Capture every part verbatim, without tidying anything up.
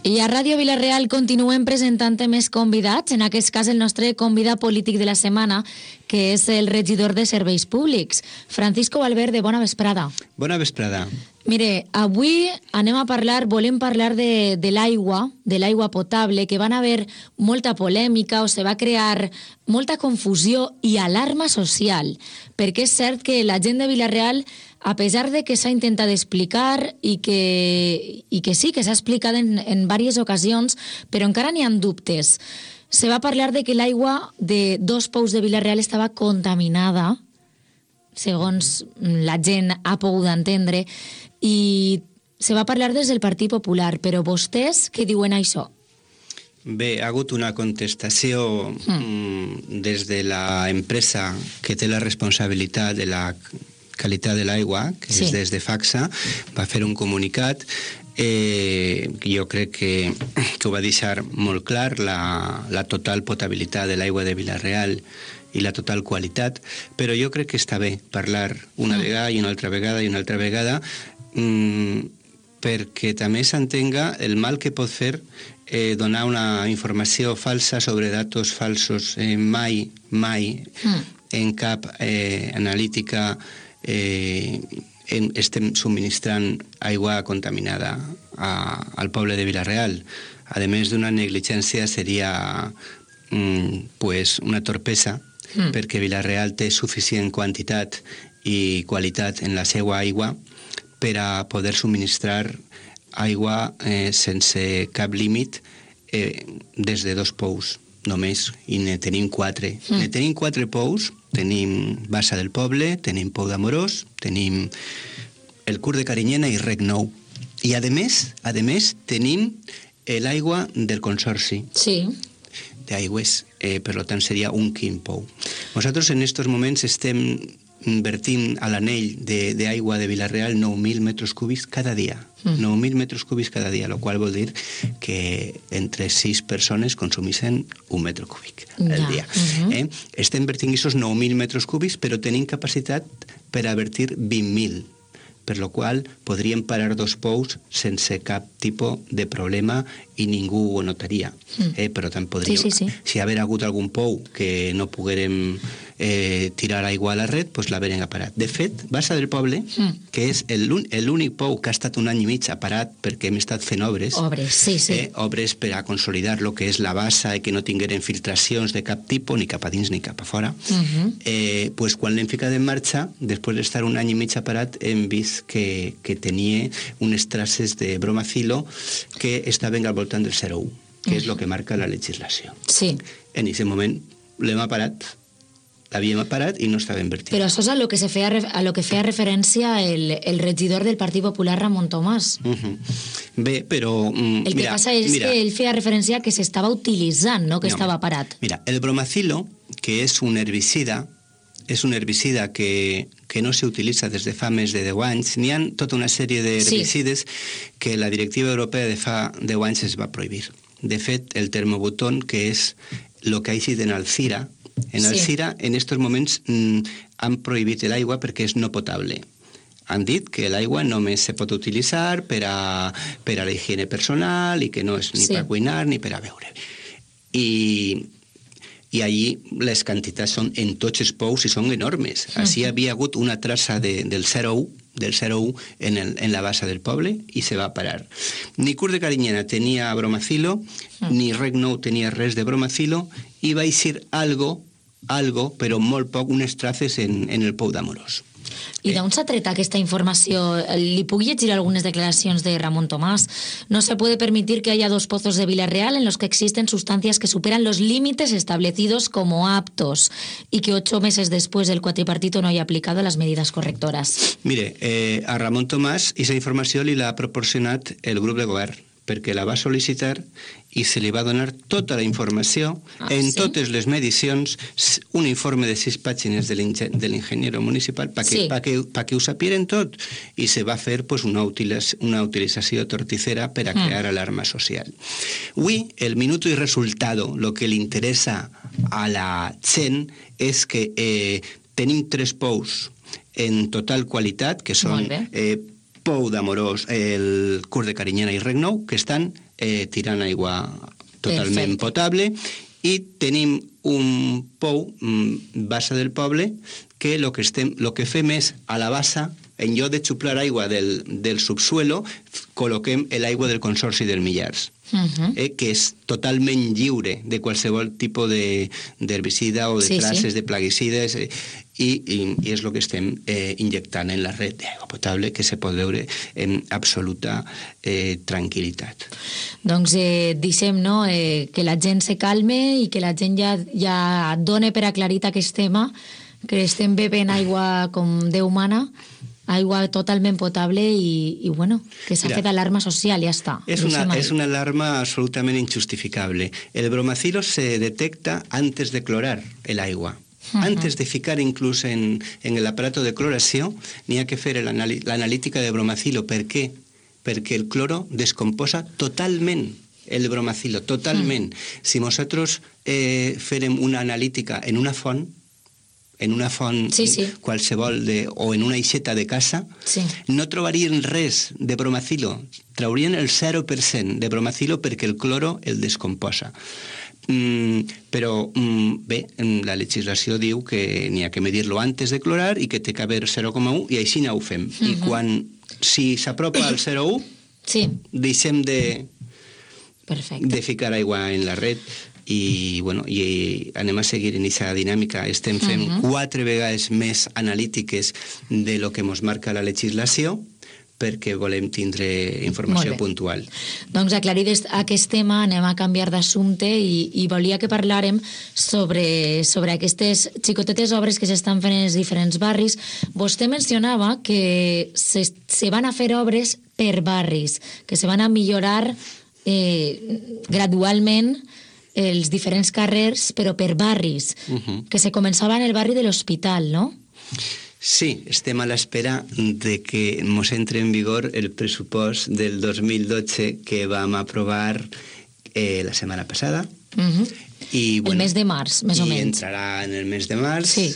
I a Ràdio Vila-real continuem presentant més convidats, en aquest cas el nostre convidat polític de la setmana, que és el regidor de Serveis Públics, Francisco Valverde. Bona vesprada. Bona vesprada. Mire, avui anem a parlar, volem parlar de, de l'aigua, de l'aigua potable, que van haver molta polèmica o se va crear molta confusió i alarma social, perquè és cert que la gent de Vila-real, a pesar de que s'ha intentat explicar i que, i que sí, que s'ha explicat en, en diverses ocasions, però encara n'hi ha dubtes. Se va parlar de que l'aigua de dos pous de Vila-real estava contaminada, segons la gent ha pogut entendre, i se va parlar des del Partit Popular, però vostès què diuen això? Bé, ha hagut una contestació mm. des de l'empresa que té la responsabilitat de la qualitat de l'aigua, que sí. és des de FACSA, va fer un comunicat. Eh, jo crec que, que ho va deixar molt clar, la, la total potabilitat de l'aigua de Vila-real i la total qualitat, però jo crec que està bé parlar una mm. vegada i una altra vegada i una altra vegada, mm, perquè també s'entenga el mal que pot fer eh, donar una informació falsa sobre datos falsos. Eh, mai, mai, mm. en cap eh, analítica eh, en, estem subministrant aigua contaminada a, al poble de Vila-real. A més d'una negligència, seria mm, pues una torpesa, mm. perquè Vila-real té suficient quantitat i qualitat en la seva aigua per a poder subministrar aigua eh, sense cap límit eh, des de dos pous només, i ne tenim quatre. Mm. Ne tenim quatre pous, tenim Bassa del Poble, tenim Pou d'Amorós, tenim el Curt de Carinyena i Rec Nou. I a més, a més tenim l'aigua del Consorci. Sí. D'aigües, eh, per tant seria un quin pou. Nosaltres en aquests moments estem invertint a l'anell d'aigua de, de Vila-real nou mil metres cúbics cada dia. Mm. nou mil metres cúbics cada dia, el qual vol dir que entre sis persones consumeixen un metre cúbic al ja. dia. Uh-huh. eh? Estem invertint aquests nou mil metres cúbics, però tenim capacitat per a vertir vint mil, per lo qual podríem parar dos pous sense cap tipus de problema i ningú ho notaria. Mm. Eh, però tant podríem... Sí, sí, sí. Si haver hagut algun pou que no poguérem eh, tirar aigua a la red, doncs l'haverem parat. De fet, Bassa del Poble, mm. que és l'únic pou que ha estat un any i mig parat perquè hem estat fent obres, obres, sí, sí. Eh, obres per a consolidar el que és la bassa i que no tingueren filtracions de cap tipus, ni cap a dins ni cap a fora. Mm-hmm. eh, pues quan l'hem ficat en marxa, després d'estar un any i mig parat, hem vist que, que tenia unes traces de bromacilo que estaven al voltant del zero coma un, que mm. és el que marca la legislació. Sí. En aquest moment l'hem parat, l'havíem parat i no estava invertit. Però això és a lo que, se feia, a lo que feia referència el, el regidor del Partit Popular, Ramon Tomàs. Uh-huh. Bé, però... Mm, el que mira, passa és mira, que ell feia referència que s'estava utilitzant, no que no, estava parat. Mira, el bromacilo, que és un herbicida, és un herbicida que, que no s'utilitza des de fa més de deu anys. N'hi ha tota una sèrie d'herbicides sí. que la directiva europea de fa deu anys es va prohibir. De fet, el termobutón, que és el que ha eixit en Alzira, en Alzira, sí. en aquests moments mm, han prohibit l'aigua perquè és no potable. Han dit que l'aigua només se pot utilitzar per a, per a la higiene personal i que no és ni sí. per cuinar ni per a beure. I... i allí les quantitats són en tots els pous i són enormes. Així uh-huh. havia hagut una traça de, del zero coma un del zero coma un en, el, en la bassa del poble i se va parar. Ni Curt de Carinyena tenia bromacilo, uh-huh. ni Rec Nou tenia res de bromacilo i va eixir algo, algo, però molt poc, unes traces en, en el Pou d'Amorós. I d'on s'ha tret aquesta informació? Li puc llegir algunes declaracions de Ramon Tomàs. No se puede permitir que haya dos pozos de Vila-real en los que existen sustancias que superan los límites establecidos como aptos y que ocho meses después el cuatripartito no haya aplicado las medidas correctoras. Mire, eh, a Ramon Tomàs aquesta informació li l'ha proporcionat el grup de govern, perquè la va sol·licitar i se li va donar tota la informació ah, en sí? totes les medicions, un informe de sis pàgines de l'ingeniero municipal perquè sí. pa que, pa que ho sapieren tot, i se va fer pues, una, utiliz una utilització torticera per a crear mm. alarma social. Avui, el minuto i resultado, el que li interessa a la gent és que eh, tenim tres pous en total qualitat, que són eh, pou d'Amorós, el curs de Carinyena i Regnou, que estan eh, tirant aigua totalment Perfecte. Potable, i tenim un pou, mm, bassa del poble, que el que, estem, lo que fem és a la bassa, en lloc de xuplar aigua del, del subsuelo, col·loquem l'aigua del Consorci del Millars, uh-huh. eh, que és totalment lliure de qualsevol tipus d'herbicida o de sí, traces sí. de plaguicides, eh, i, i, i és el que estem eh, injectant en la red d'aigua potable, que se pot veure en absoluta eh, tranquil·litat. Doncs eh, deixem no, eh, que la gent se calme i que la gent ja, ja done per aclarit aquest tema, que estem bevent aigua com Déu mana, aigua totalment potable i, i bueno, que s'ha fet alarma social, ja està. És una, és una alarma absolutament injustificable. El bromacilo se detecta antes de clorar el agua. Uh-huh. Antes de ficar inclús en, en el aparato de cloració, n'hi ha que fer l'analítica de bromacilo. Per què? Perquè el cloro descomposa totalment el bromacilo, totalment. Uh-huh. Si nosaltres eh, farem una analítica en una font, en una font sí, sí. qualsevol de, o en una aixeta de casa, sí. no trobarien res de bromacilo. Traurien el zero per cent de bromacilo perquè el cloro el descomposa. Mm, però mm, bé, la legislació diu que n'hi ha que medir-lo antes de clorar i que té que haver zero coma u i així no ho fem. Uh-huh. I quan, si s'apropa al zero coma u, sí. deixem de, de ficar aigua en la red. I, bueno, i anem a seguir en aquesta dinàmica. Estem fent uh-huh. quatre vegades més analítiques de lo que ens marca la legislació perquè volem tindre informació puntual. Doncs aclarit aquest tema, anem a canviar d'assumpte i, i volia que parlàrem sobre, sobre aquestes xicotetes obres que s'estan fent en els diferents barris. Vostè mencionava que se, se van a fer obres per barris, que se van a millorar eh, gradualment els diferents carrers, però per barris, uh-huh. que se començava en el barri de l'Hospital, no? Sí, estem a l'espera de que ens entre en vigor el pressupost del dos mil dotze que vam aprovar eh, la setmana passada. Uh-huh. I, bueno, el mes de març, més o menys. I entrarà en el mes de març. Sí.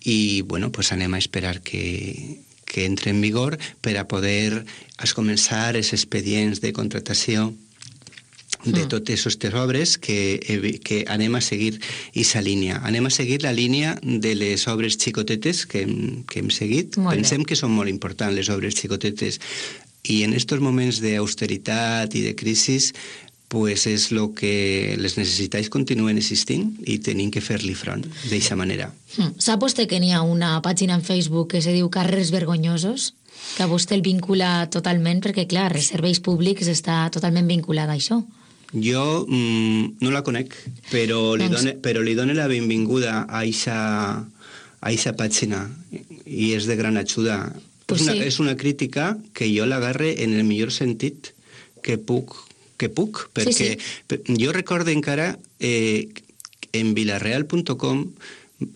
I, bueno, pues anem a esperar que, que entre en vigor per a poder es començar els expedients de contractació de totes aquestes obres que, que anem a seguir aquesta línia. Anem a seguir la línia de les obres xicotetes que hem, que hem seguit. Pensem que són molt importants les obres xicotetes i en aquests moments d'austeritat i de crisi pues és el que les necessitats continuen existint i tenim que fer-li front d'aquesta manera. Sap vostè que n'hi ha una pàgina en Facebook que se diu Carrers Vergonyosos? Que vostè el vincula totalment perquè, clar, els serveis públics està totalment vinculat a això. Jo mm, no la conec, però li, done, però li dono la benvinguda a aquesta pàgina i és de gran ajuda. Pues és, una, sí. és una crítica que jo l'agarre en el millor sentit que puc, que puc perquè sí, sí. jo recordo encara eh, en vilareal punt com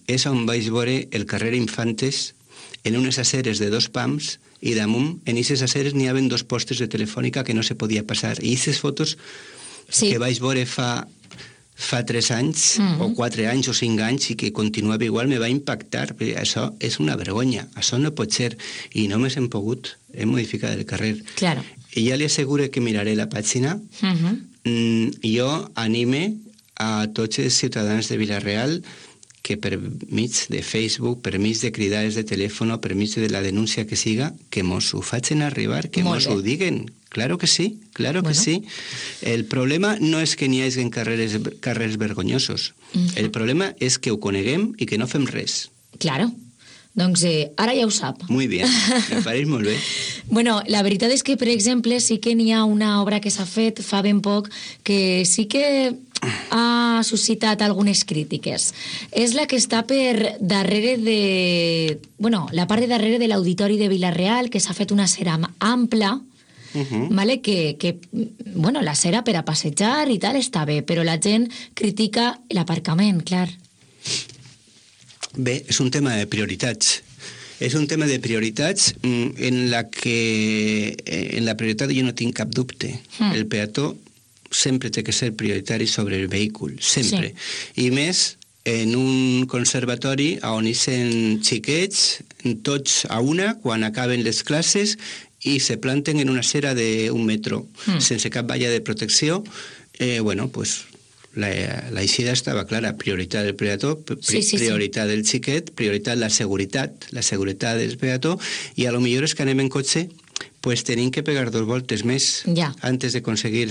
és on vaig veure el carrer Infantes en unes aceres de dos pams i damunt en aquestes aceres n'hi havia dos postes de telefònica que no se podia passar i aquestes fotos sí. que vaig veure fa, fa tres anys, mm-hmm. o quatre anys o cinc anys, i que continuava igual, me va impactar. Això és una vergonya, això no pot ser. I no m'hem pogut, he modificat el carrer. Claro. I ja li asseguro que miraré la pàgina. Mm-hmm. Mm, jo anime a tots els ciutadans de Vila-real que per mig de Facebook, per mig de cridades de telèfon, per mig de la denúncia que siga, que mos ho facin arribar, que mos ho diguen. Claro que sí, claro bueno. que sí. El problema no és que n'hi hagi carrers, carrers vergonyosos. Uh-huh. El problema és que ho coneguem i que no fem res. Claro. Doncs eh, ara ja ho sap. Muy bien, me pareix molt bé. Bueno, la veritat és que, per exemple, sí que n'hi ha una obra que s'ha fet fa ben poc que sí que ha suscitat algunes crítiques. És la que està per darrere de... Bueno, la part de darrere de l'Auditori de Vila-real, que s'ha fet una cera ampla, Uh-huh. Vale? Que, que, bueno, la cera per a passejar i tal està bé, però la gent critica l'aparcament, clar. Bé, és un tema de prioritats. És un tema de prioritats en la que en la prioritat jo no tinc cap dubte. Mm. El peató sempre té que ser prioritari sobre el vehicle, sempre. Sí. I més en un conservatori on hi són xiquets, tots a una, quan acaben les classes, i se planten en una cera d'un metro, mm. sense cap valla de protecció, eh, bueno, pues, la, la eixida estava clara, prioritat del peató, pri, sí, sí, prioritat sí. del xiquet, prioritat la seguretat, la seguretat del peató, i a lo millor és que anem en cotxe, pues tenim que pegar dos voltes més ja. antes de aconseguir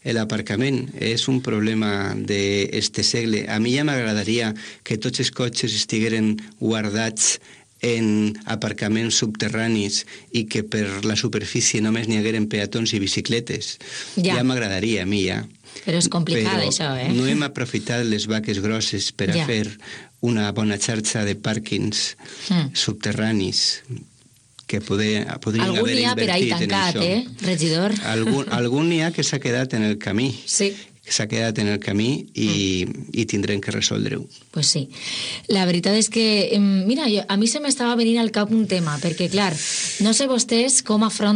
l'aparcament. És un problema d'este segle. A mi ja m'agradaria que tots els cotxes estigueren guardats en aparcaments subterranis i que per la superfície només n'hi hagueren peatons i bicicletes. Ja, ja m'agradaria a mi, ja. Però és complicat, Però això, eh? no hem aprofitat les vaques grosses per ja. a fer una bona xarxa de pàrquings mm. subterranis que poder, podrien algun haver invertit per ahí tancat, en això. Eh, regidor? Algun, algun n'hi ha que s'ha quedat en el camí. Sí. Que s'ha quedat en el camí i, mm. i tindrem que resoldre-ho. Pues sí. La veritat és que, mira, jo, a mi se m'estava venint al cap un tema, perquè, clar, no sé vostès com afronten